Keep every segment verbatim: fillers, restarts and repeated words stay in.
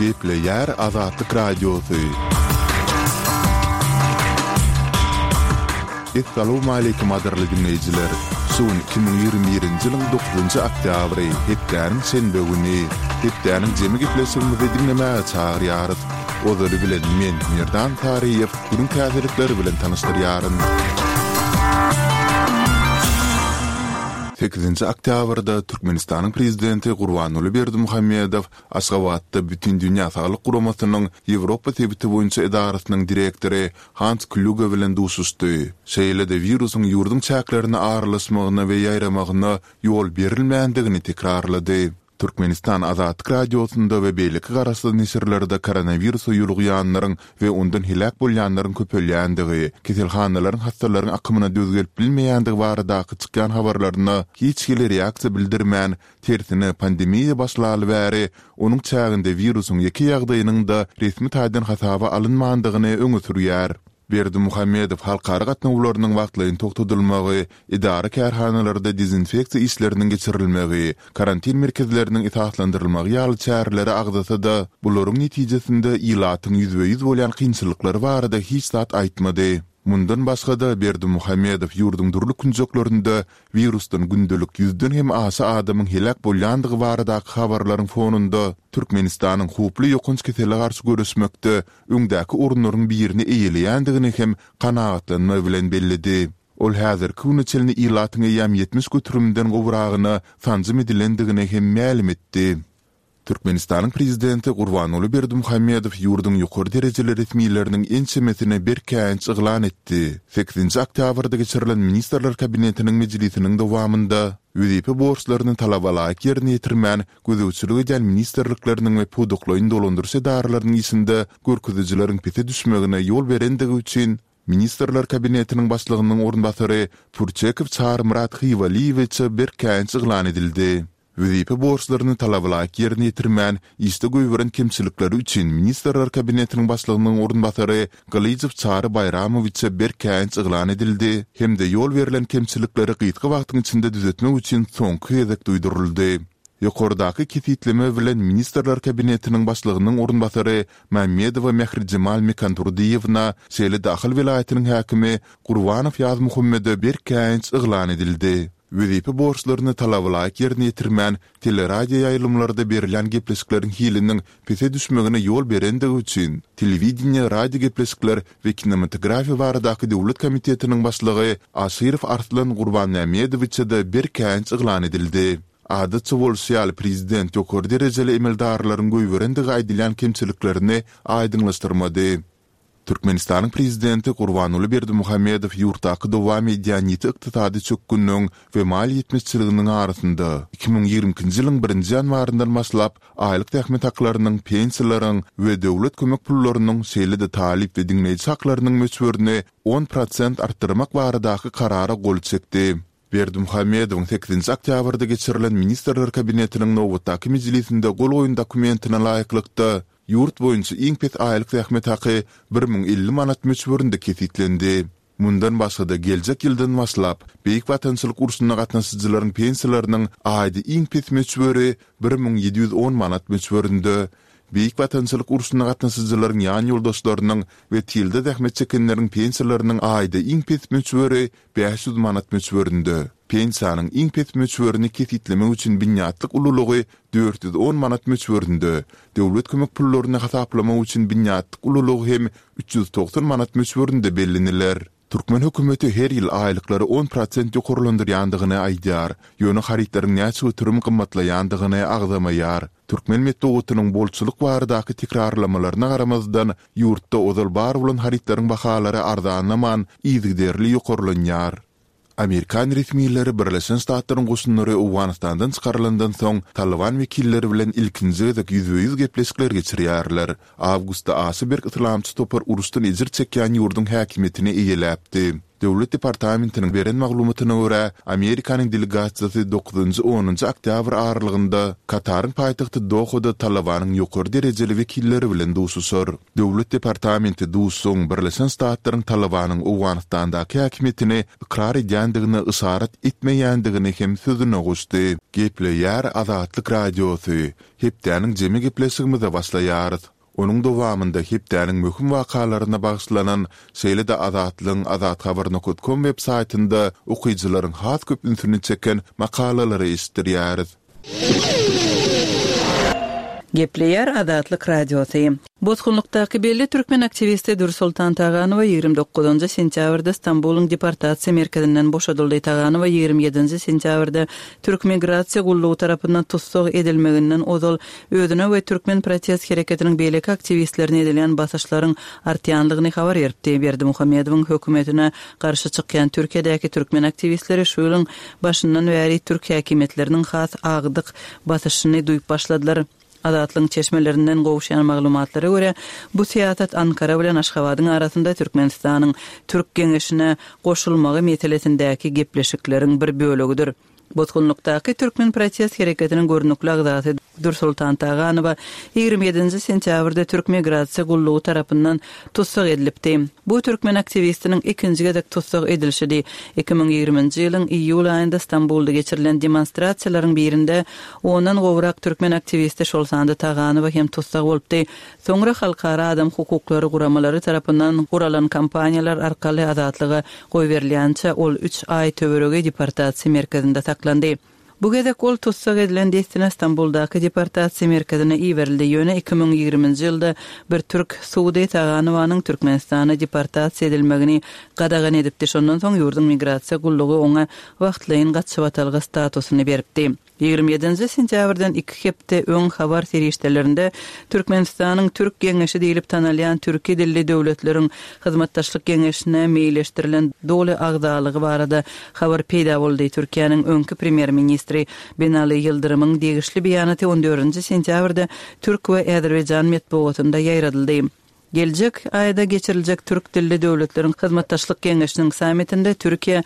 Gepleýär Azatlyk Radiosy. Essalawmaleýkim gadyrly diňleýjiler! Şu gün iki müň ýigrimi birinji ýylyň dokuzynjy oktýabry, hepdäniň şenbe güni. Hepdäniň jemi gepleşigimizi diňlemäge çagyrýarys. Ozaly bilen men, Merdan Saryýew, günüň täzelikleri bilen tanyşdyrýaryn. Sekizinji oktýabrda Türkmenistanyň Prezidenti Gurbanguly Berdimuhamedow Aşgabatda Bütindünýä Saglyk Guramasynyň Ýewropa sebiti boýunça edarasynyň direktory Hans Klýuge bilen duşuşdy. Şeýle-de wirusyň ýurduň çäklerine aralaşmagyna we ýaýramagyna ýol berilmändigini tekrarlady. Türkmenistan Azatlyk Radiosynda we beýleki garaşsyz neşirlerde koronawirusa ýolugýanlaryň we ondan heläk bolýanlaryň köpelýändigi, keselhanalaryň hassalaryň akymyna döz gelip bilmeýändigi baradaky çykýan habarlaryna hiç hili reaksiýa bildirmän, tersine pandemiýa başlaly bäri onuň çäginde wirusyň ýeke ýagdaýynyň-da resmi taýdan hasaba alynmandygyny öňe sürýär. Berdimuhamedow halkara gatnawlarynyň wagtlaýyn togtadylmagy, edara-kärhanalarda dezinfeksiýa işleriniň geçirilmegi, karantin merkezleriniň esaslandyrylmagy ýaly çäreleri agzasa-da, bularyň netijesinde ilatyň ýüzbe-ýüz bolýan kynçylyklary barada hiç zat aýtmady. Mundan başga-da, Berdimuhamedow ýurduň dürli künjeklerinde wirusdan gündelik ýüzden hem aşa adamyň heläk bolýandygy baradaky habarlaryň fonunda Türkmenistanyň howply ýokanç kesele garşy göreşmekde öňdäki orunlaryň birini eýeleýändigini hem kanagatlanma bilen belledi. Ol häzirki güne çenli ilatyň eýýäm ýetmiş göterimden gowragyna sanjym edilendigini hem mälim etdi. Türkmenistanyň Prezidenti Gurbanguly Berdimuhamedow ýurduň ýokary derejeli resmileriniň ençemesine berk käýinç yglan etdi. Sekizinji oktýabrda geçirilen Ministrler Kabinetiniň mejlisiniň dowamynda wezipe borçlaryny talabalaýyk ýerine ýetirmän gözegçilik edýän ministrlikleriniň we pudaklaýyn dolandyryş edaralarynyň işinde görkezijileriň pese düşmegine ýol berendigi üçin Ministrler Kabinetiniň Başlygynyň orunbasary Pürçekow Çarymyrat Hywalyýewiçe berk käýinç yglan edildi. Wezipe borçlaryny talabalaýyk ýerine ýetirmän, işde goýberen kemçilikleri üçin Ministrler Kabinetiniň Başlygynyň orunbasary Gylyjow Çary Baýramowiçe berk käýinç yglan edildi hem-de ýol berlen kemçilikleri gysga wagtyň içinde düzetmek üçin soňky gezek duýduryldy. Ýokardaky kesgitleme bilen Ministrler Kabinetiniň Başlygynyň orunbasary Mämmedowa Mährijemal Mekandurdyýewna, şeýle-de Ahal welaýatynyň häkimi Gurbanow Ýazmuhammede berk käýinç yglan edildi. Wezipe borçlaryny talabalaýyk ýerine ýetirmän, teleradioýaýlymlarda berilýän gepleşikleriň hiliniň pese düşmegine ýol berendigi üçin, Telewideniýe, radiogepleşikler we kinematografiýa baradaky döwlet komitetiniň başlygy Aşyrow Arslan Gurbanmämmedowiçe-de berk käýinç yglan edildi. Adatça bolşy ýaly, prezident ýokary derejeli emeldarlaryň goýberendigi aýdylýan kemçiliklerini aýdyňlaşdyrmady. Türkmenistanyň Prezidenti Gurbanguly Berdimuhamedow ýurtdaky dowam edýän ýiti ykdysady çökgünligiň we maliýe ýetmezçiliginiň arasynda, iki müň ýigrimi ikinji ýylyň birinji ýanwaryndan başlap aýlyk zähmet haklarynyň, pensiýalaryň we döwlet kömek pullarynyň, şeýle-de talyp we diňleýji haklarynyň möçberini on prosent artdyrmak baradaky karara gol çekdi. Berdimuhamedowyň sekizinji oktýabrda geçirilen Ministrler Kabinetiniň nobatdaky mejlisinde gol goýan dokumentine laýyklykda, ýurt boýunça iň pes aýlyk zähmet haky bir müň elli manat möçberinde kesgitlendi. Mundan başga-da, geljek ýyldan başlap, Beýik Watançylyk urşuna gatnaşyjylaryň pensiýalarynyň aýda iň pes möçberi bir müň ýedi ýüz on manat möçberinde, Beýik Watançylyk urşuna gatnaşyjylaryň ýan ýoldaşlarynyň we tylda zähmet çekenleriň pensiýalarynyň aýda iň pes möçberi bäş ýüz manat möçberinde, pensiýanyň iň pes möçberini kesgitlemek üçin binýatlyk ululygy dört ýüz on manat möçberinde, döwlet kömek pullaryny hasaplamak üçin binýatlyk ululygy hem üç ýüz togsan manat möçberinde belleniler. Türkmen hökümeti her ýyl aýlyklary on prosent ýokarlandyrýandygyny aýdýar, ýöne harytlaryň näçe göterim gymmatlaýandygyny agzamaýar. Türkmen metbugatynyň bolçulyk baradaky tekrarlamalaryna garamazdan, ýurtda ozal bar bolan harytlaryň bahalary arzanlaman, yzygiderli ýokarlanýar. Amerikan resmileri Birleşen Ştatlaryň goşunlary Owganystandan çykarylandan soň, Talyban wekilleri bilen ilkinji gezek ýüzbe-ýüz gepleşikler geçirýärler. Awgustda aşa berk yslamçy topar uruşdan ejir çekýän ýurduň häkimiýetini eýeläpdi. Döwlet departamentiniň beren maglumatyna görä, Amerikanyň delegasiýasy dokuzynjy-onunjy oktýabr aralygynda Kataryň paýtagty Dohada Talybanyň ýokary derejeli wekilleri bilen duşuşar. Döwlet departamenti duşuşygyň Birleşen Ştatlaryň Talybanyň Owganystandaky häkimiýetini ykrar edýändigine yşarat etmeýändigini hem sözüne goşdy. Gepleýär Azatlyk Radiosy, Hepdäniň jemi gepleşigimize başlaýarys. Onuň dowamynda hepdäniň möhüm wakalaryna bagyşlanan, şeýle-de Azatlygyň azathabar nokat kom web saýtynda okyjylaryň has köp ünsüni çeken makalalary eşitdirýäris. Gepleýär Azatlyk Radiosy. Bosgunlykdaky belli türkmen aktiwisti Dürsoltan Taganowa ýigrimi dokuzynjy sentýabrda Stambulyň deportasiýa merkezinden boşadyldy. Taganowa ýigrimi ýedinji sentýabrda Türk migrasiýa gullugy tarapyndan tussag edilmeginden ozal özüne we türkmen protest hereketiniň beýleki aktiwistlerine edilýän basyşlaryň artýandygyny habar beripdi. Berdimuhamedowyň hökümetine garşy çykýan Türkiýedäki türkmen aktiwistleri şu ýylyň başyndan bäri türk häkimiýetleriniň has agdyk basyşyny duýup başladylar. Azatlygyň çeşmelerinden gowuşýan maglumatlara görä, bu syýasat Ankara bilen Aşgabadyň arasynda Türkmenistanyň Türk Geňeşine goşulmagy meselesindäki gepleşikleriň bir bölegidir. Bosgunlykdaky türkmen protest hereketiniň görnükli agzasy Dürsoltan Taganowa ýigrimi ýedinji sentýabrda Türk migrasiýa gullugy tarapyndan tussag edilipdi. Bu türkmen aktiwistiniň ikinji gezek tussag edilişidi. Iki müň ýigriminji ýylyň iýul aýynda Stambulda geçirilen demonstrasiýalaryň birinde ondan gowrak türkmen aktiwisti, şol sanda Taganowa hem tussag bolupdy. Soňra halkara adam hukuklary guramalary tarapyndan guralan kampaniýalar arkaly azatlyga goýberilýänçä ol üç aý töweregi deportasiýa merkezinde saklandy. Bu gezek ol tussag edilen dessine Stambuldaky deportasiýa merkezine iberildi, ýöne iki müň ýigriminji ýylda bir türk sudy Taganowanyň Türkmenistana deportasiýa edilmegini gadagan edipdi, şondan soň ýurduň migrasiýa gullugy oňa wagtlaýyn gaçybatalga statusyny beripdi. Ýigrimi ýedinji sentýabrdan iki hepde öň habar serişdelerinde Türkmenistanyň Türk Geňeşi diýlip tanalýan türki dilli döwletleriň hyzmatdaşlyk geňeşine meýilleşdirilen doly agzalygy barada habar peýda boldy. Türkiýäniň öňki premýer-ministri Binali Ýyldyrymyň degişli beýanaty on dördünji sentýabrda türk we azerbaýjan metbugatynda ýaýradyldy. Geljek aýda geçiriljek Türk dilli döwletleriň hyzmatdaşlyk geňeşiniň sammitinde Türkiýe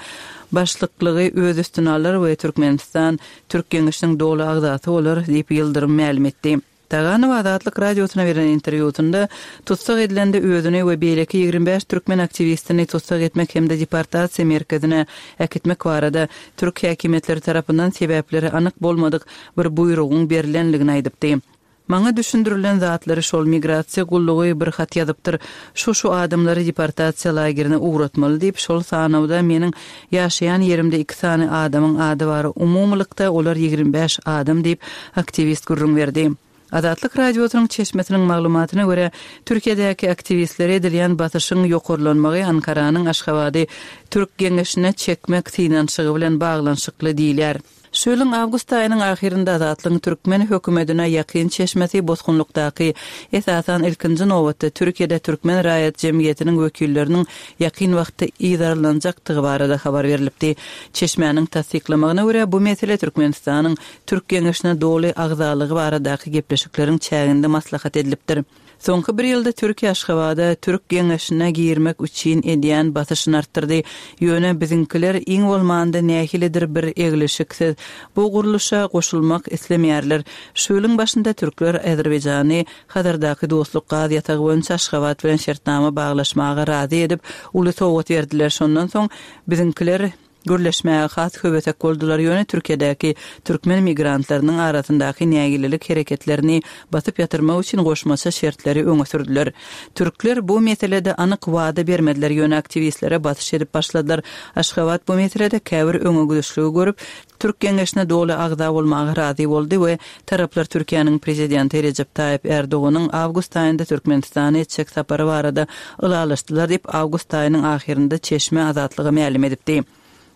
başlyklygy öz üstüne alar we Türkmenistan Türk Geňeşiniň doly agzasy bolar diýip, Ýyldyrym mälim etdi. Taganow Azatlyk Radiosyna beren interwýusynda tussag edilende özüni we beýleki ýigrimi bäş türkmen aktiwistini tussag etmek hem-de deportasiýa merkezine äkitmek barada türk häkimiýetleri tarapyndan sebäpleri anyk bolmadyk bir buýrugyň berlenligini aýdypdy. Maňa düşündirilen zatlary şol migrasiýa gullugy bir hat ýazypdyr, şu-şu adamlary deportasiýa lagerine ugratmaly diýip, şol sanawda meniň ýaşaýan ýerimde iki sany adamyň ady bar, umumylykda olar ýigrimi bäş adam diýip, aktiwist gürrüň berdi. Azatlyk Radiosynyň çeşmesiniň maglumatyna görä, Türkiýedäki aktiwistlere edilýän basyşyň ýokarlanmagy Ankaranyň Aşgabady Türk Geňeşine çekmek synanyşygy bilen baglanyşykly diýilýär. Şu ýylyň awgust aýynyň ahyrynda Azatlygyň türkmen hökümetine ýakyn çeşmesi bosgunlykdaky, esasan, ilkinji nobatda Türkiýede türkmen raýat jemgyýetiniň wekilleriniň ýakyn wagtda yzarlanjakdygy barada habar berlipdi. Çeşmäniň tassyklamagyna görä, bu mesele Türkmenistanyň Türk Geňeşine doly agzalygy baradaky gepleşikleriň çäginde maslahat edilipdir. Soňky bir ýylda Türkiýe Aşgabada Türk Geňeşine girmek üçin edýän basyşyny artdyrdy. Ýöne biziňkiler iň bolmanda nähilidir bir eglişiksiz bu gurluşa goşulmak islemeýärler. Şu ýylyň başynda türkler Azerbaýjany Hazardaky Dostluk gaz ýatagy boýunça Aşgabat bilen şertnama baglaşmaga razy edip, uly sowgat berdiler. Şondan soň biziňkiler Gürleşmäge has höwesek boldular, ýöne Türkiýedäki türkmen migrantlarynyň arasyndaky nägilelik hereketlerini basyp ýatyrmak üçin goşmaça şertleri öňe sürdüler. Türkler bu meselede anyk wada bermediler, ýöne aktiwistlere basyş edip başladylar. Aşgabat bu meselede käbir öňegidişligi görüp, Türk Geňeşine doly agza bolmaga razy boldy we taraplar Türkiýäniň Prezidenti Rejep Taýyp Erdoganyň awgust aýynda Türkmenistana etjek sapary barada ylalaşdylar diýip, awgust aýynyň ahyrynda çeşme Azatlyga mälim edipdi.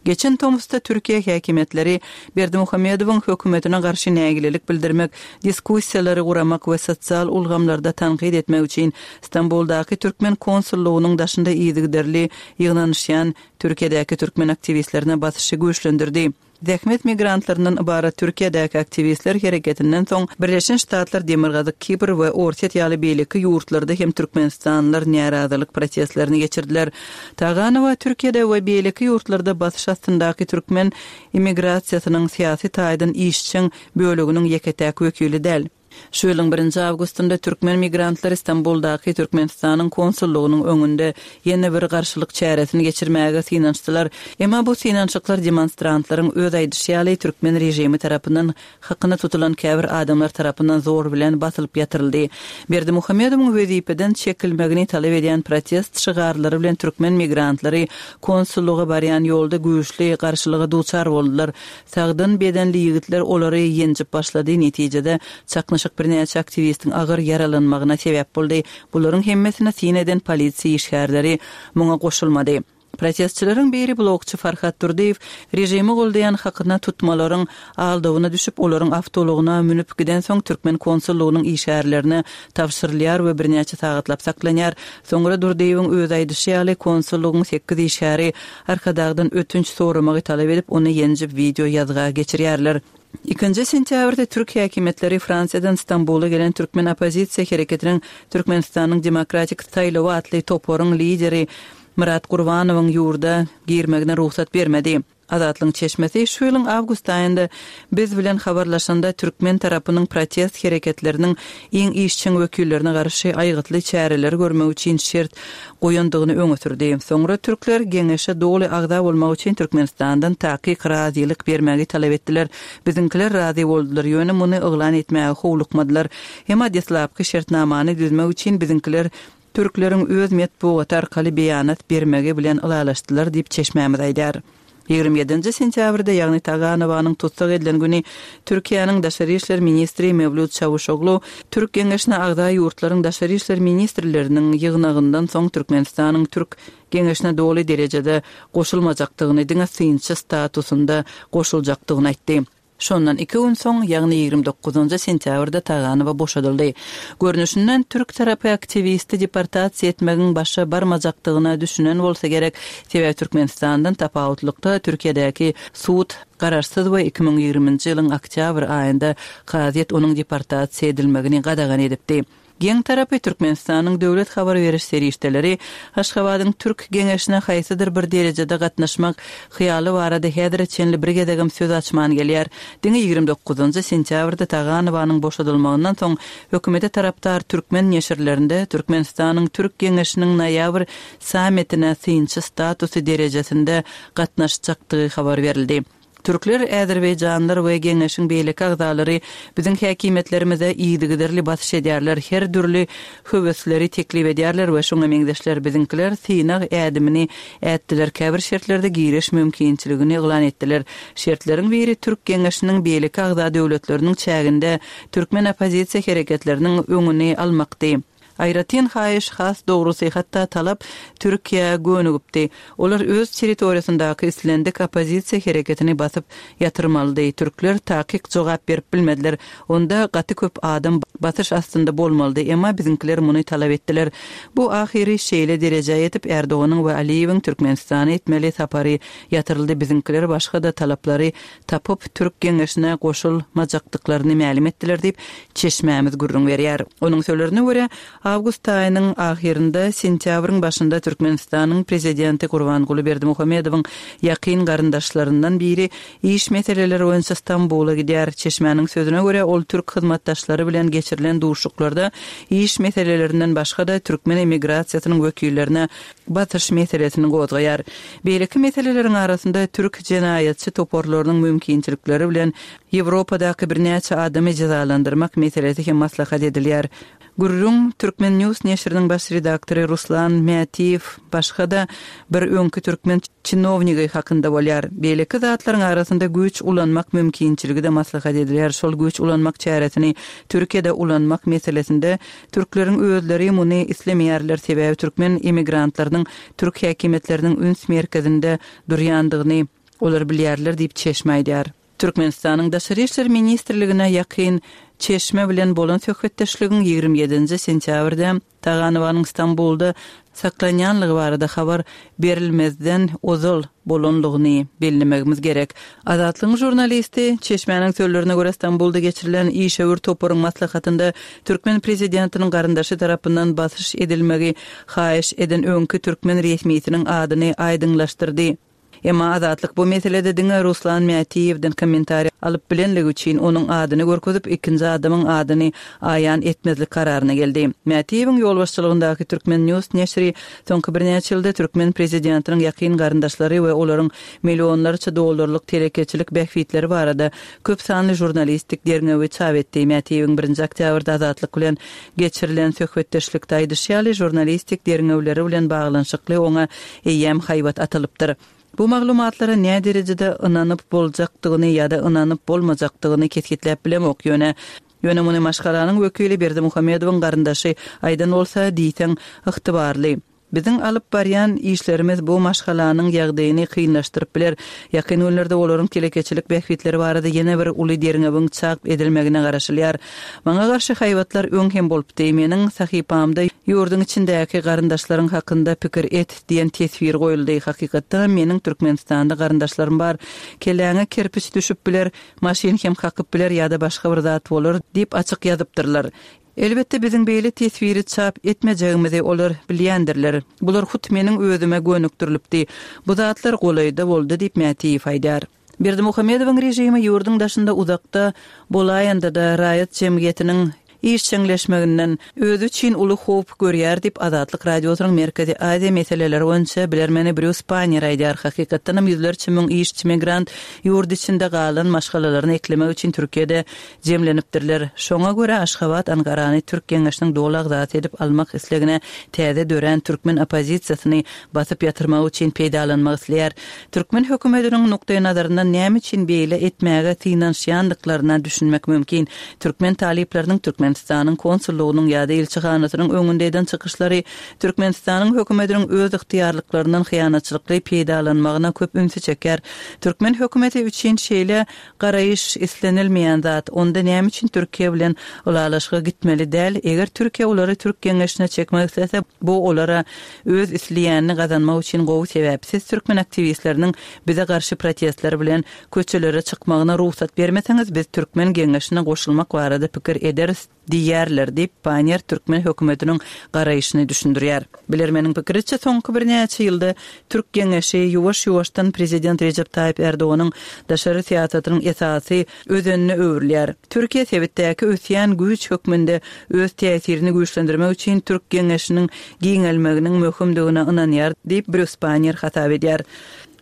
Geçen tomusda Türkiýe häkimiýetleri Berdimuhamedowyň hökümetine garşy nägilelik bildirmek, diskussiýalary guramak we sosial ulgamlarda tankyt etmek üçin Stambuldaky türkmen konsullygynyň daşynda yzygiderli ýygnanyşýan Türkiýedäki türkmen aktiwistlerine basyşy güýçlendirdi. Zähmet migrantlaryndan ybarat Türkiýedäki aktiwistler hereketinden soň Birleşen Ştatlar, Demirgazyk Kipr we Orsýet ýaly beýleki ýurtlarda hem türkmenistanlylar närazylyk protestlerini geçirdiler. Taganowa Türkiýede we beýleki ýurtlarda basyş astyndaky türkmen immigrasiýasynyň syýasy taýdan işjeň böleginiň ýeke-täk wekili däl. Şu ýylyň birinji awgustynda türkmen migrantlary Stambuldaky Türkmenistanyň konsullygynyň öňünde ýene bir garşylyk çäresini geçirmäge synanyşdylar. Emma bu synanyşyklar demonstrantlaryň öz aýdyşy ýaly türkmen režimi tarapyndan hakyna tutulan käbir adamlar tarapyndan zor bilen basylyp ýatyryldy. Berdimuhamedowyň wezipeden çekilmegini talap edýän protest şygarlary bilen türkmen migrantlary konsullyga barýan ýolda güýçli garşylyga duçar boldular. Sagdyn bedenli ýigitler olary ýenjip başlady, netijede çaknyşyk birnäçe aktiwistiň agyr ýaralanmagyna sebäp boldy. Bularyň hemmesine syn eden polisiýa işgärleri muňa goşulmady. Protestçileriň biri blogçy Farhat Durdyýew režimi goldaýan hakyna tutmalaryň aldawyna düşüp, olaryň awtoulagyna münüp gidensoň türkmen konsullygynyň işgärlerine tabşyrylýar we birnäçe sagatlap saklanýar. Soňra Durdyýewiň öz aýdyşy ýaly konsullygyň sekiz işgäri Arkadagdan ötünç soramagy talap edip, ony ýenjip wideo ýazga geçirýärler. Ikinji sentýabrda türk häkimiýetleri Fransiýadan Stambula gelen türkmen oppozisiýa hereketiniň Türkmenistanyň demokratik saýlawy atly toparyň lideri Myrat Gurbanowyň ýurda girmegine rugsat bermedi. Azatlygyň çeşmesi şu ýylyň awgust aýynda biz bilen habarlaşanda türkmen tarapynyň protest hereketleriniň iň işjeň wekillerine garşy aýgytly çäreleri görmek üçin şert goýandygyny öňe sürdi. Soňra türkler geňeşe doly agza bolmak üçin Türkmenistandan takyk razylyk bermegi talap etdiler. Biziňkiler razy boldular, ýöne muny yglan etmäge howlukmadylar. Emma deslapky şertnamany düzmek üçin biziňkiler türkleriň öz metbugaty arkaly beýanat bermegi bilen ylalaşdylar diýip çeşmämiz aýdar. Ýigrimi ýedinji sentýabrda, ýagny Taganowanyň tussag edilen güni Türkiýäniň daşary işler ministri Mewlüt Çawuşoglu Türk geňeşine agza ýurtlaryň daşary işler ministrleriniň ýygnagyndan soň Türkmenistanyň Türk geňeşine doly derejede goşulmajakdygyny, diňe synçy statusynda goşuljakdygyny aýtdy. Şondan iki gün soň, ýagny ýigrimi dokuzynjy sentýabrda Taganowa boşadyldy. Görnüşinden türk tarapy aktiwisti deportasiýa etmegiň başa barmajakdygyna düşünen bolsa gerek, sebäbi Türkmenistandan tapawutlykda Türkiýedäki sud garaşsyz we iki müň ýigriminji ýylyň oktýabr aýynda kazyýet onuň deportasiýa edilmegini gadagan edipdi. Geň tarapy Türkmenistanyň döwlet habar beriş serişdeleri Aşgabadyň Türk geňeşine haýsydyr bir derejede gatnaşmak hyýaly barada häzire çenli bir gezegem söz açman gelýär. Diňe ýigrimi dokuzynjy sentýabrda Taganowanyň boşadylmagyndan soň hökümete tarapdar türkmen neşirlerinde Türkmenistanyň Türk geňeşiniň noýabr sammitine synçy statusy derejesinde gatnaşjakdygy habar berildi. Türkler, azerbaýjanlar we geňeşiň beýleki agzalary biziň häkimiýetlerimize yzygiderli basyş edýärler, her dürli höwesleri teklip edýärler we şoňa meňzeşler. Biziňkiler synag ädimini ätdiler, käbir şertlerde giriş mümkinçiligini yglan etdiler. Şertleriň biri Türk geňeşiniň beýleki agza döwletleriniň çäginde türkmen oppozisiýa hereketleriniň öňüni almakdy. Aýratyn haýyş, has dogrusy, hatda talap Türkiýä gönügipdi. Olar öz territoriýasyndaky islendik oppozisiýa hereketini basyp ýatyrmalydy. Türkler takyk jogap berip bilmediler. Onda gaty köp adam basyş astynda bolmalydy, emma biziňkiler muny talap etdiler. Bu ahyry şeýle derejä ýetip, Erdoganyň we Aliýewiň Türkmenistana etmeli sapary ýatyryldy. Biziňkiler başga-da talaplary tapyp, Türk geňeşine goşulmajakdyklaryny mälim etdiler diýip, çeşmämiz gürrüň berýär. Onuň sözlerine görä, awgust aýynyň ahyrynda, sentýabryň başynda Türkmenistanyň prezidenti Gurbanguly Berdimuhamedowyň ýakyn garyndaşlaryndan biri iş meseleleri boýunça Stambula gidýär. Çeşmäniň sözüne görä, ol türk hyzmatdaşlary bilen geçirilen duşuşyklarda iş meselelerinden başga-da türkmen emigrasiýasynyň wekillerine basyş meselesini gozgaýar. Beýleki meseleleriň arasynda türk jenaýatçy toparlarynyň mümkinçilikleri bilen Ýewropadaky birnäçe adamy jezalandyrmak meselesi hem maslahat edilýär. Gürrüň Türkmen News neşiriniň baş redaktory Ruslan Mätiýew başga-da bir öňki türkmen çinownigi hakynda bolýar. Beýleki zatlaryň arasynda güýç ulanmak mümkinçiligi-de maslahat edilýär. Şol güýç ulanmak çäresini Türkiýede ulanmak meselesinde türkleriň özleri muny islemeýärler, sebäbi türkmen emigrantlarynyň türk häkimiýetleriniň üns merkezinde durýandygyny olar bilýärler diýip çeşme aýdýar. Türkmenistanyň Daşary işler ministrligine ýakyn Çeşme bilen bolan söhbetdeşligiň ýigrimi ýedinji sentýabrda Taganowanyň Stambulda saklanýanlygy barada habar berilmezden ozal bolanlygyny bellemegimiz gerek. Azatlygyň žurnalisti Çeşmäniň sözlerine görä Stambulda geçirilen işewür toparyň maslahatynda türkmen prezidentiniň garyndaşy tarapyndan basyş edilmegi haýyş eden öňki türkmen resmisiniň adyny aýdyňlaşdyrdy. Emma Azatlyk bu meselede diňe Ruslan Mätiýewden kommentariý alyp bilenligi üçin onuň adyny görkezip, ikinji adamyň adyny aýan etmezlik kararyna geldi. Mätiýewiň ýolbaşçylygyndaky Türkmen News neşiri soňky birnäçe ýylda türkmen prezidentiniň ýakyn garyndaşlary we olaryň millionlarça dollarlyk telekeçilik bähbitleri barada köp sanly žurnalistik derňewi çap etdi. Mätiýewiň birinji oktýabrda Azatlyk bilen geçirilen söhbetdeşlikde aýdyşy ýaly, žurnalistik derňewleri bilen baglanyşykly oňa eýýäm haýbat atylypdyr. Bu maglumatlara näderejede ynanyp boljakdygyny ýa-da ynanyp bolmajakdygyny kesgitläp bilemok, ýöne ýöne muny maşgalanyň wekili Berdimuhamedowyň garyndaşy aýdan bolsa, diýseň ygtybarly. Biziň alyp barýan işlerimiz bu maşgalanyň ýagdaýyny kynlaşdyryp biler. Ýakyn günlerde olaryň telekeçilik bähbitleri barada ýene bir uly derňewiň çap edilmegine garaşylýar. Maňa garşy haýbatlar öň hem bolupdy. Meniň sahypamda ýurduň içindäki garyndaşlaryň hakynda pikir et diýen teswir goýuldy. Hakykatdanam meniň Türkmenistanda garyndaşlarym bar. Kelläňe kerpiç düşüp biler, maşyn hem kakyp biler ýa-da başga bir zat bolar diýip açyk ýazypdyrlar. Elbetde biziň beýle teswiri çap etmejegimizi olar bilýändirler. Bular hut meniň özüme gönükdirilipdi. Bu zatlar golaýda boldy diýip Mätiýew aýdýar. Berdimuhamedowyň režimi ýurduň daşynda uzakda bolaýanda-da raýat jemgyýetiniň işjeňleşmeginden özi üçin uly howp görýär diýip Azatlyk Radiosynyň Merkezi Aziýa meseleleri boýunça bilermeni Brýus Panniýer aýdýar. Hakykatdanam ýüzlerçe müň işçi migrant ýurt içinde galan maşgalalaryny eklemek üçin Türkiýede jemlenipdirler. Şoňa görä Aşgabat Ankarany Türk Geňeşiniň doly agzasy edip almak islegine täze dörän türkmen oppozisiýasyny basyp ýatyrmak üçin peýdalanmak isleýär. Türkmen hökümetiniň nukdaýnazaryndan näme üçin beýle etmäge synanyşýandyklaryna düşünmek mümkin. Türkmen talyplarynyň Türkmenistanyň konsullygynyň ýa-da ilçihanasynyň öňünde eden çykyşlary Türkmenistanyň hökümetiniň öz ygtyýarlyklaryndan hyýanatçylykly peýdalanmagyna köp ünsi çekýär. Türkmen hökümeti üçin şeýle garaýyş islenilmeýän zat. Onda näme üçin Türkiýe bilen ylalaşyga gitmeli däl? Eger Türkiýe olary Türk Geňeşine çekmek islese, bu olara öz isleýänini gazanmak üçin gowy sebäp. Siz türkmen aktiwistleriniň bize garşy protestler bilen köçelere çykmagyna rugsat bermeseňiz, biz Türkmen Geňeşine goşulmak barada pikir ederis diýerler diýip, Panniýer türkmen hökümetiniň garaýşyny düşündirýär. Bilermeniň pikiriçe, soňky birnäçe ýylda Türk Geňeşi ýuwaş-ýuwaşdan prezident Rejep Taýyp Erdoganyň daşary syýasatynyň esasy özenine öwrülýär. Türkiýe sebitdäki ösýän güýç hökmünde öz täsirini güýçlendirmek üçin Türk Geňeşiniň giňelmeginiň möhümdigine ynanýar diýip, Brýus Panniýer hasap edýär.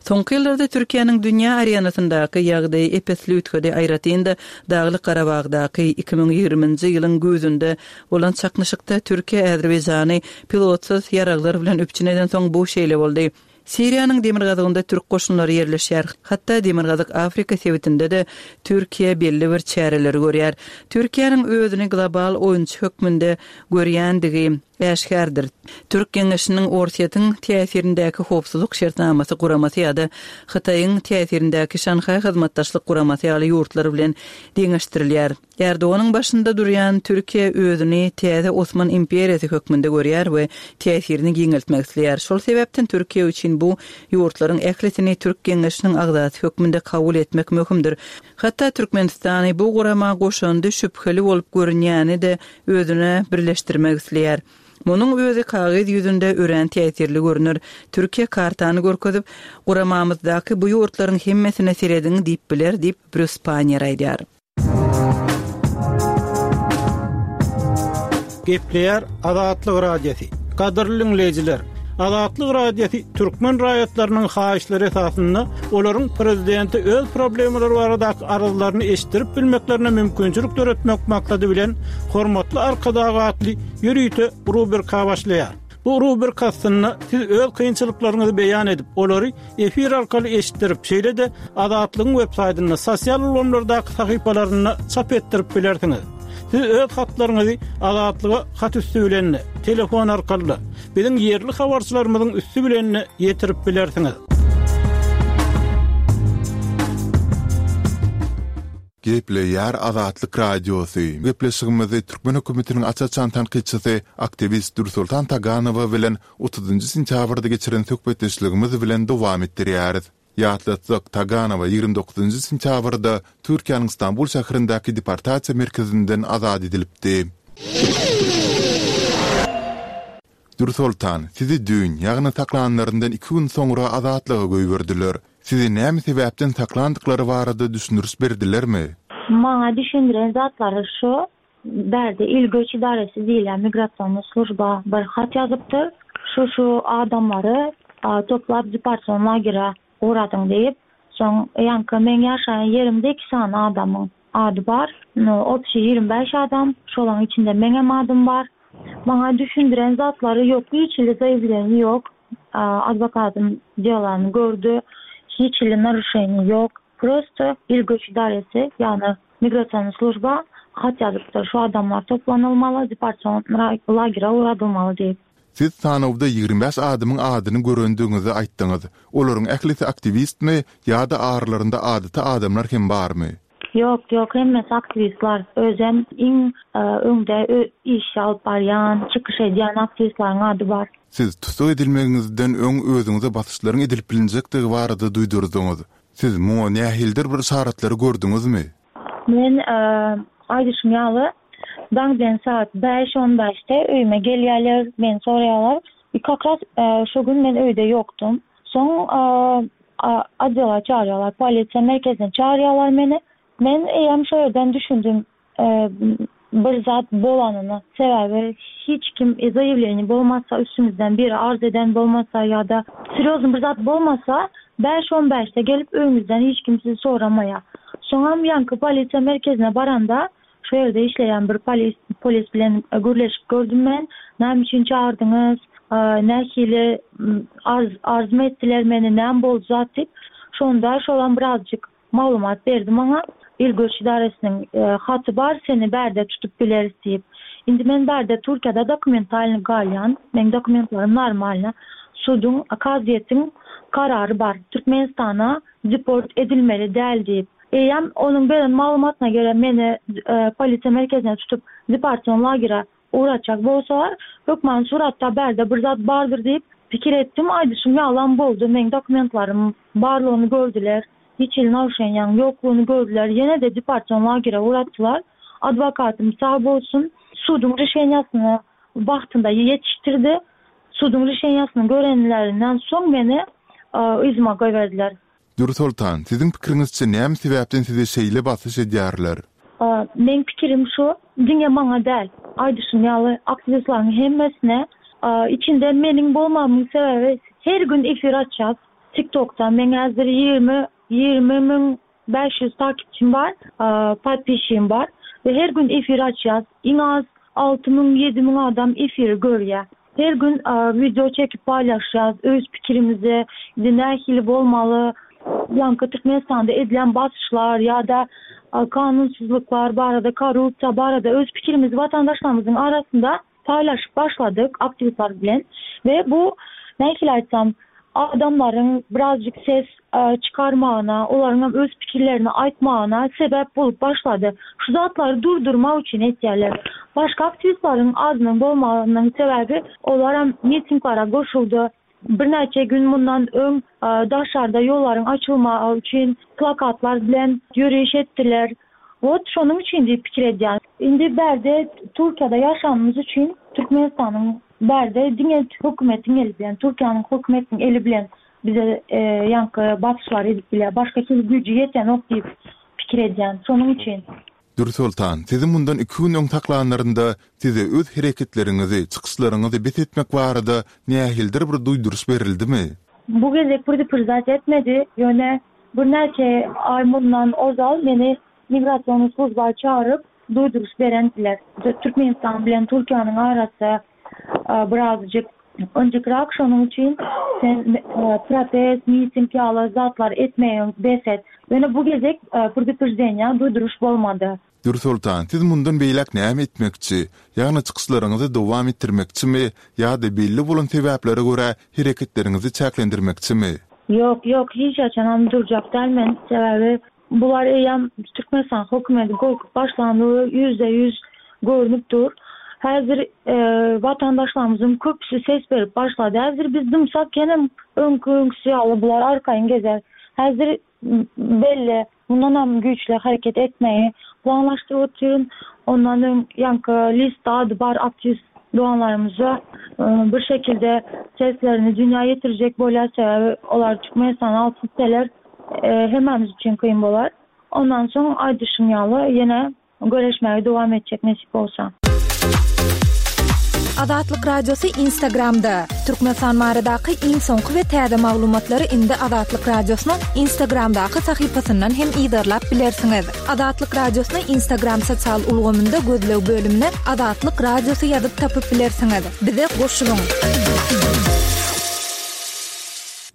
Soňky ýyllarda Türkiýäniň dünýä arenasyndaky ýagdaýy ep-esli üýtgedi, aýratyn-da Daglyk Garabagdaky iki müň ýigriminji ýylyň güýzünde bolan çaknyşykda Türkiýe Azerbaýjany pilotsyz ýaraglar bilen üpjün edensoň bu şeýle boldy. Siriýanyň demirgazygynda türk goşunlary ýerleşýär. Hatda Demirgazyk Afrika sebitinde-de Türkiýe belli bir çäreleri görýär. Türkiýäniň özüni global oýunçy hökmünde görýändigi äşgärdir. Türk Geňeşiniň Orsýetiň täsirindäki Howpsuzlyk şertnamasy guramasy ýa-da Hytaýyň täsirindäki Şanhaý Hyzmatdaşlyk guramasy ýaly ýurtlar bilen deňeşdirilýär. Erdoganyň başynda durýan Türkiýe özüni täze Osman imperiýasy hökmünde görýär we täsirini giňeltmek isleýär. Şol sebäpden Türkiýe üçin bu ýurtlaryň ählisini Türk Geňeşiniň agzasy hökmünde kabul etmek möhümdir. Hatda Türkmenistany bu gurama goşandy şübheli bolup görünýäni-de özüne birleşdirmek isleýär. Munuň özi kagyz ýüzünde örän täsirli görüner. Türkiýe kartany görkezip, guramamyzdaky bu ýurtlaryň hemmesine serediň diýip biler diýip, Brýus Panniýer aýdýar. Gepleýär Azatlyk Radiosy. Gadyrly diňleýjiler, Azatlyk Radiosy türkmen raýatlarynyň haýyşlary esasynda olaryň prezidente öz problemalary baradaky arzlaryny eşitdirip bilmeklerine mümkinçilik döretmek maksady bilen Hormatly Arkadag atly ýörite rubrika başlaýar. Bu rubrika astynda siz öz kynçylyklaryňyzy beýan edip, olary efir arkaly eşitdirip, şeýle-de Azatlygyň web saýtynda, sosial ulgamlardaky sahypalarynda çap etdirip bilersiňiz. Siz öz hatlaryňyzy Azatlyga hat üsti bilen-de, telefon arkaly-da, biziň ýerli habarçylarymyzyň üsti bilen-de ýetirip bilersiňiz. Gepleýär Azatlyk Radiosy. Gepleşigimizi türkmen hökümetiniň aç-açan tankytçysy, aktiwist Dürsoltan Taganowa bilen otuzynjy sentýabrda geçiren söhbetdeşligimiz bilen dowam etdirýäris. Ýatlatsak, Taganowa ýigrimi dokuzynjy sentýabrda Türkiýäniň Stambul şäherindäki deportasiýa merkezinden azat edilipdi. Dürsoltan, sizi düýn, ýagny saklanlaryndan iki gün soňra azatlyga goýberdiler. Sizi näme sebäpden saklandyklary barada düşündiriş berdilermi? Maňa düşündiren zatlary şu, bärde il göç idaresi diýilýän migrasionny služba bir hat ýazypdyr. Şu-şu adamlary toplap deportasion lagere ugradyň diýip, soň ýaňky meň ýaşaýan ýerimde iki sany adamyň ady bar. Obşi ýigrimi bäş adam, şolaryň içinde meňem adym bar. Maňa düşündiren zatlary ýok, hiç hili zaýawleniýe ýok. Adwokatym delany gördi, hiç hili narušeniýe ýok. Prosto il göç idaresi, ýagny migrasionny služba hat ýazypdyr, şu adamlar toplanylmaly, deportasion lagere ugradylmaly diýip. Siz sanawda ýigrimi bäş adamyň adyny görendigiňizi aýtdyňyz. Olaryň ählisi aktiwistmi ýa-da aralarynda adaty adamlar hem barmy? Ýok, ýok, hemmesi aktiwistler. Özem iň öňde iş alyp barýan, çykyş edýän aktiwistleriň ady bar. Siz tussag edilmegiňizden öň özüňize basyşlaryň edilip bilinjekdigi barada duýdurdyňyz. Siz muňa nähilidir bir yşaratlary gördüňizmi? Men, aýdyşym ýaly, daň bilen saat bäş on bäşde öýüme gelýärler, meni soraýarlar. Как раз şo gün men öýde ýokdum. Soň odela çağırýarlar, polisiýa merkezine çağırýarlar meni. Men eýýäm şo ýerden düşündim, bir zat bolanyny. Sebäbi hiç kim zaýawleniýe bolmasa, üstümizden biri arz eden bolmasa ýa-da serýozny bir zat bolmasa, bäş on bäşde gelip öýüňizden hiç kim sizi soramaýar. Soňam ýaňky polisiýa merkezine baranda şu ýerde işleýän bir polis, polis bilen gürleşip gördüm men. Näme üçin çağırdyňyz? Nähili arz, arzmy etdiler meni, näme boldy zat diýip. Şonda şolam birazjyk maglumat berdi maňa. Il göç idaresiniň haty bar, seni bärde tutup bileris diýip. Indi men bärde Türkiýede dokumentalny galýan, meň dokumentlerim normalny. Suduň, kazyýetiň karary bar. Türkmenistana deport edilmeli däl diýip. Eýýäm onuň beren maglumatyna görä meni polisiýa merkezine tutup deportasion lagere uğratjak bolsalar, hökman suratda bärde bir zat bardyr diýip pikir etdim. Aýdyşym ýalan boldy. Meň dokumentlerim barlygyny gördüler. Hiç hili narušeniýaň ýoklugyny gördüler. Ýene de deportasion lagere uğratdylar. Adwokatym sag bolsun, suduň rişeniýasyny wagtynda ýetişdirdi. Suduň rişeniýasyny görenlerinden soň meni yzyma goýberdiler. Dürsoltan, siziň pikiriňizçe näme sebäpden size şeýle basyş edýärler? Meň pikirim şu, diňe maňa däl. Aýdyşym ýaly aktiwistleriň hemmesine, içinde meniň bolmamyň sebäbi her gün efir açýas. TikTokda meň häzir ýigrimi, ýigrimi müň bäş ýüz takipçim bar, podpisçim bar we her gün efir açýas. Iň az alty müň, ýedi müň adam efiri görýär. Her gün video çekip paýlaşýas, öz pikirimizi, nähili bolmaly, ýaňky Türkmenistanda edilen basyşlar ýa-da kanunsyzlyklar barada, korrupsiýa barada öz pikirimizi vatandaşlarymyzyň arasynda paýlaşyp başladyk aktiwistler bilen we bu nähili aýtsam, adamlaryň birazjyk ses çykarmagyna, olaryň hem öz pikirlerini aýtmagyna sebäp bolup başlady. Şu zatlary durdurmak üçin etýärler. Başga aktiwistleriň azynyň bolmagynyň sebäbi olar hem mitinglere goşuldy. Birnäçe gün mundan öň daşarda ýollaryň açylmagy üçin plakatlar bilen ýöriş etdiler. Wot şonuň üçin diýip pikir edýän. Indi bärde Türkiýede ýaşanymyz üçin Türkmenistanyň bärde diňe hökümetiň eli bilen, Türkiýäniň hökümetiniň eli bilen bize ýaňky basyşlar edip bilýär. Başga hili güýji ýetenok diýip pikir edýän. Şonuň üçin. Dürsoltan, sizi mundan iki gün öň saklanlarynda size öz hereketleriňizi, çykyşlaryňyzy bes etmek barada nähilidir bir duýduryş berildimi? Bu gezek predupredizat etmedi. Ýöne birnäçe aý mundan ozal meni migrasion služba çağırıp duýduryş berendiler. Türkmenistan bilen Türkiýäniň arasy birazjyk önjükrak, şonuň üçin sen protest, miting ýaly zatlar etmeýin bes et. Ýöne bu gezek predupredizeniýa duýduryş bolmady. Dürsoltan, siz mundan beýläk näme etmekçi? Ýagny çykyşlaryňyzy dowam etdirmekçimi ýa-da belli bolan sebäplere görä hereketleriňizi çäklendirmekçimi? Ýok, ýok, hiç haçanam durjak däl men. Sebäbi Bular eýýäm Türkmenistan hökümeti gorkup başlandy, ýüzde ýüz görnüp dur. Häzir watandaşlarymyzyň köpüsi ses berip başlady. Häzir biz dymsak ýenem öňki öňküsi ýaly bular arkaýyn gezer. Häzir belli mundanam güýçli hereket etmegi planlaşdyryp otyryn. Ondan öň ýaňky lista ady bar aktiwist doganlarymyza bir şekilde seslerini dünýä ýetirjek bolýar. Sebäbi olar Türkmenistana alyp gitseler hemmämiz üçin kyn bolar. Ondan soň aýdyşym ýaly ýene göreşmäge dowam etjek nesip bolsa. Azatlyk Radiosy Instagramda. Türkmenistan baradaky iň soňky we täze maglumatlary indi Azatlyk Radiosynyň Instagramdaky sahypasyndan hem yzarlap bilersiňiz. Azatlyk Radiosyny Instagram sosial ulgamynda gözleg bölümine Azatlyk Radiosy ýazyp tapyp bilersiňiz. Bize goşulyň.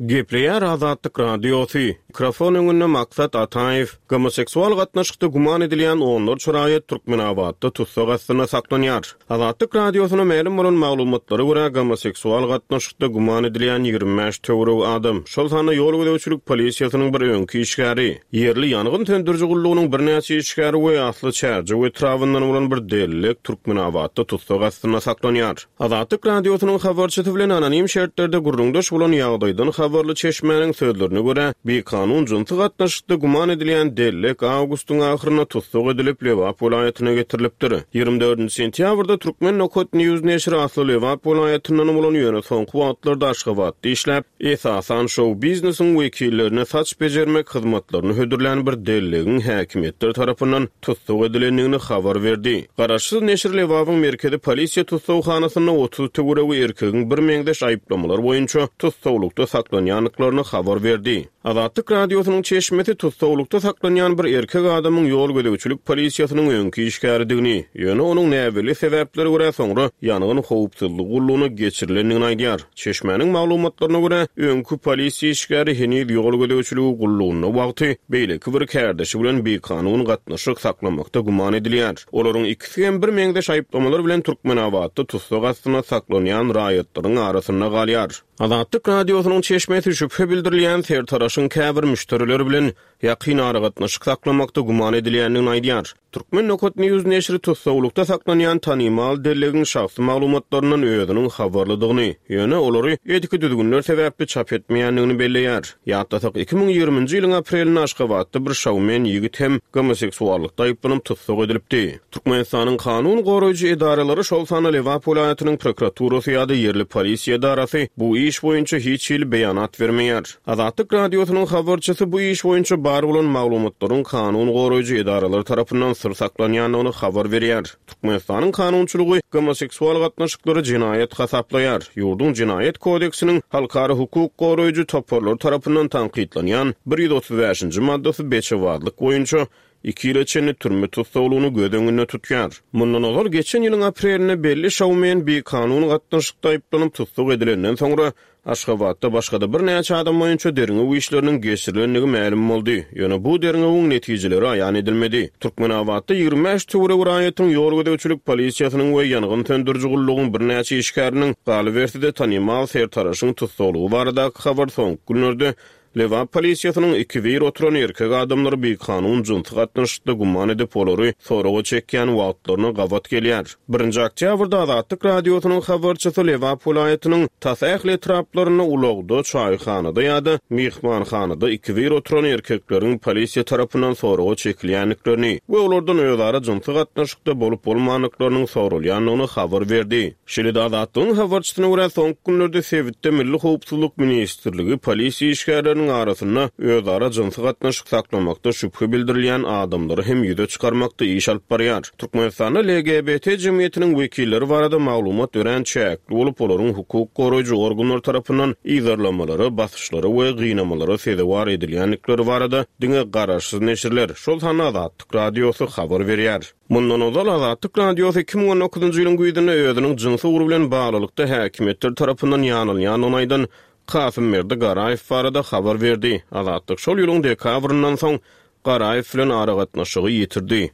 Gepleýär Azatlyk Radiosy. Mikrofon öňünde Maksat Ataýew. Gomoseksual gatnaşykda güman edilýän onlarça raýat Türkmenabatda tussag astynda saklanýar. Azatlyk Radiosyna mälim bolan maglumatlara görä gomoseksual gatnaşykda güman edilýän ýigrimi bäş töweregi adam, şol sanda ýol gözegçilik polisiýasynyň bir öňki işgäri, ýerli ýangyn söndüriji gullugynyň birnäçe işgäri we asly Çärjew etrabyndan bolan bir dellek Türkmenabatda tussag astynda saklanýar. Azatlyk Radiosynyň habarçysy bilen anonim şertlerde gürrüňdeş bolan ýagdaýdan habarly çeşmäniň sözlerine görä, bikanun jynsy gatnaşykda güman edilýän dellek awgustyň ahyrynda tussag edilip Lebap welaýatyna getirilipdir. Ýigrimi dördünji sentýabrda Türkmen Nokat News neşiri asly Lebap welaýatyndan bolan ýöne soňky wagtlarda Aşgabatda işläp, esasan şou biznesiň wekillerine saç bejermek hyzmatlaryny hödürlän bir dellegiň häkimiýetler tarapyndan tussag edilendigini habar berdi. Garaşsyz neşir Lebabyň merkezi polisiýa tussaghanasynda otuz töweregi erkegiň bir meňzeş aýyplamalar boýunça tussaglykda saklanýandyklaryny habar berdi. Azatlyk Radiosynyň çeşmesi tussaglykda saklanýan bir erkek adamyň ýol gözegçilik polisiýasynyň öňki işgäridigini, ýöne onuň näbelli sebäplere görä soňra ýangyn howpsuzlygy gullugyna geçirilendigini aýdýar. Çeşmäniň maglumatlaryna görä, öňki polisiýa işgäri heniz ýol gözegçiligi gullugynda wagty beýleki bir kärdeşi bilen bikanun gatnaşyk saklamakda güman edilýär. Olaryň ikisi hem bir meňzeş aýyplamalar bilen Türkmenabatda tussag astynda saklanýan raýatlaryň arasynda galýar. Azatlyk Radiosynyň çeşmesi şübhe bildirilýän sertaraşyň käbir müşderileri bilen ýakyn aragatnaşyk saklamakda güman edilýändigini aýdýar. Türkmen Nokat News neşiri tussaglykda saklanýan tanymal dellegiň şahsy maglumatlaryndan özüniň habarlydygyny, ýöne olary etiki düzgünler sebäpli çap etmeýändigini belleýär. Ýatlasak, iki müň ýigriminji ýylyň aprelinde Aşgabatda bir şowmen ýigit hem gomoseksuallykda aýyplanyp tussag edilipdi. Türkmenistanyň kanun goraýjy edaralary, şol sanda Lebap welaýatynyň prokuraturasy ýa-da ýerli polisiýa edarasy bu iş boýunça hiç hili beýanat bermeýär. Azatlyk Radiosynyň habarçysy bu iş boýunça bar bolan maglumatlaryň kanun goraýjy edaralar tarapyndan syr saklanýandygyny habar berýär. Türkmenistanyň kanunçylygy gomoseksual gatnaşyklary jenaýat hasaplaýar. Ýurduň jenaýat kodeksiniň halkara hukuk goraýjy toparlary tarapyndan tankytlanýan bir ýüz otuz bäşinji maddasy beçewazlyk boýunça iki ýyla çenli türme tussaglygyny göz öňünde tutýar. Mundan ozal geçen ýylyň aprelinde belli şowmen bikanun gatnaşykda aýyplanyp tussag edilenden soňra Aşgabatda başga-da birnäçe adam boýunça derňew işleriniň geçirilendigi mälim boldy. Ýöne bu derňewiň netijeleri aýan edilmedi. Türkmenabatda ýigrimi bäş töweregi raýatyň ýol gözegçilik polisiýasynyň we ýangyn söndüriji gullugyň birnäçe işgäriniň galyberse-de tanymal sertaraşyň tussaglygy baradaky habar soňky günlerde Lebap polisiýasynyň iki bir oturan erkek adamlary bikanun jynsy gatnaşykda güman edip olary soraga çekýän wagtlaryna gabat gelýär. Birinji oktýabrda Azatlyk Radiosynyň habarçysy Lebap welaýatynyň tas ähli etraplarynda ulagda, çaýhanada ýa-da myhmanhanada iki bir oturan erkekleriň polisiýa tarapyndan soraga çekilýändiklerini we olardan özara jynsy gatnaşykda bolup bolmandyklarynyň soralýandygyny habar berdi. Şeýle-de Azatlygyň habarçysyna görä soňky günlerde sebitde Milli Howpsuzlyk Ministrligi polisiýa işgärleriniň arasynda özara jynsy gatnaşyk saklamakda şübhe bildirilýän adamlary hem ýüze çykarmakda iş alyp barýar. Türkmenistanda L G B T jemgyýetiniň wekilleri barada maglumat örän çäkli bolup, olaryň hukuk goraýjy organlar tarapyndan yzarlamalara, basyşlara we gynamalara sezewar edilýändikleri barada diňe garaşsyz neşirler, şol sanda Azatlyk Radiosy habar berýär. Mundan ozal Azatlyk Radiosy iki müň on dokuzynjy ýylyň güýzünde özüniň jynsy ugry bilen baglylykda häkimiýetler tarapyndan ýanylýandygyny aýdan Kasymberdi Garaýew barada habar berdi. Azatlyk şol ýylyň dekabryndan soň Garaýew bilen aragatnaşygy ýitirdi.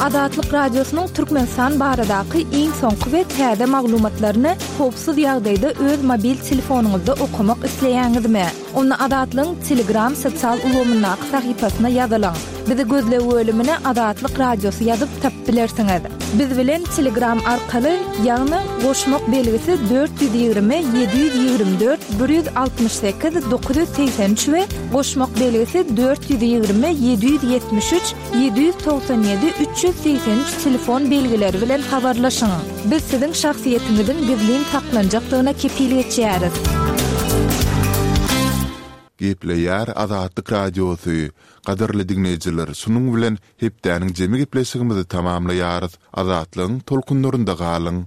Azatlyk Radiosynyň Türkmenistan baradaky iň soňky we täze maglumatlaryny howpsuz ýagdaýda öz mobil telefonyňyzda okamak isleýäňizmi? Onda Azatlygyň Telegram sosial ulgamyndaky sahypasyna ýazylyň. Bizi gözleg bölümine Azatlyk Radiosy ýazyp tapyp bilersiňiz. Biz bilen Telegram arkaly, ýagny goşmak belgisi dört ýüz ýigrimi ýedi ýüz ýigrimi dört bir ýüz altmyş sekiz dokuz ýüz segsen üç we goşmak belgisi dört ýüz ýigrimi ýedi ýüz ýetmiş üç ýedi ýüz togsan ýedi üç ýüz segsen üç telefon belgileri bilen habarlaşyň. Biz siziň şahsyýetiňiziň gizlin saklanjakdygyna kepil geçýäris. Gepleýär Azatlyk Radiosy. Gadyrly diňleýjiler, şunuň bilen hepdäniň jemi gepleşigimizi tamamlaýarys. Azatlygyň tolkunlarynda galyň!